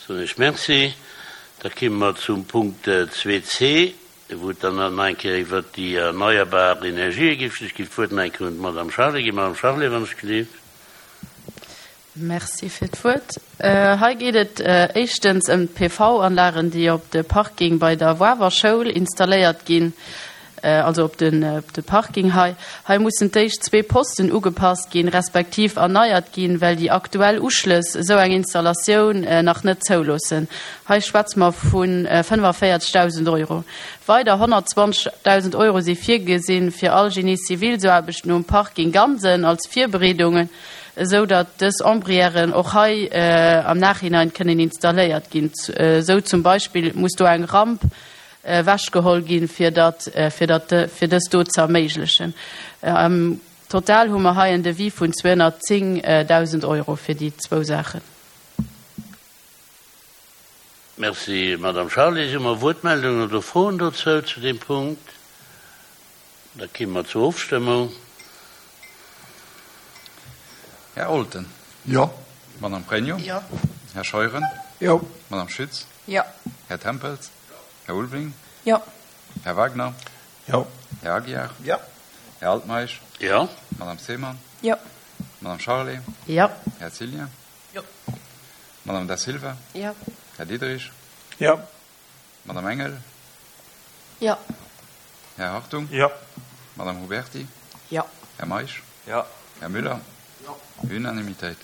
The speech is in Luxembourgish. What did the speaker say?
Soen ech Merci. Da kimme mer zum Punkt 2c, wou et dann nach eng Kéier iwwert déi erneierbar Energië geet. Ech ginn d'Wuert nach eng Kéier un d'Madame Charlé ginn. Madame Charlé, wann ech gelift. Merci fir d'Wuert. Hei geet et éischtens ëm d'PV-Anlagen, déi op de Parking bei der Wawer Schoul installéiert ginn, also op de Parking hei. Hei mussen d'éischt zwee Posten ugepasst ginn, respektiv erneiert ginn, well déi aktuell Uschlëss esou eng Installatioun nach net zouloossen. Hei schwätze mer vu 45.000 Euro. Weider 120.000 Euro si virgesinn, fir all Génie-civil-Aarbechten um Parking Gansen als Virbereedungen, esou datt dës Ombrièren och hei am Nachhinein kënnen installéiert ginn. Esou zum Beispill muss do eng Ramp ewechgeholl ginn, fir datt, fir datt, fir dës do ze erméiglechen. Am Total hu mer hei en Devis vun 210.000 Euro fir déi zwou Saachen. Merci, Madame Charlé. Si mer Wuertmeldungen oder Froen dozou zu deem Punkt? Da ki mer zur Ofstëmmung. Här Olten. Jo. Madame Pregno. Jo. Här Scheuren. Jo. Madame Schütz. Jo. Här Tempels. Jo. Här Ulveling. Jo. Här Wagner. Jo. Här Aguiar. Jo. Här Altmeisch. Jo. Madame Seemann. Jo. Madame Charlé. Jo. Här Cillien. Jo. Madame Da Silva. Jo. Här Diderich. Jo. Madame Engel. Jo. Här Hartung. Jo. Madame Huberti. Jo. Här Meisch. Jo. Här Müller. Jo. Unanimitéit.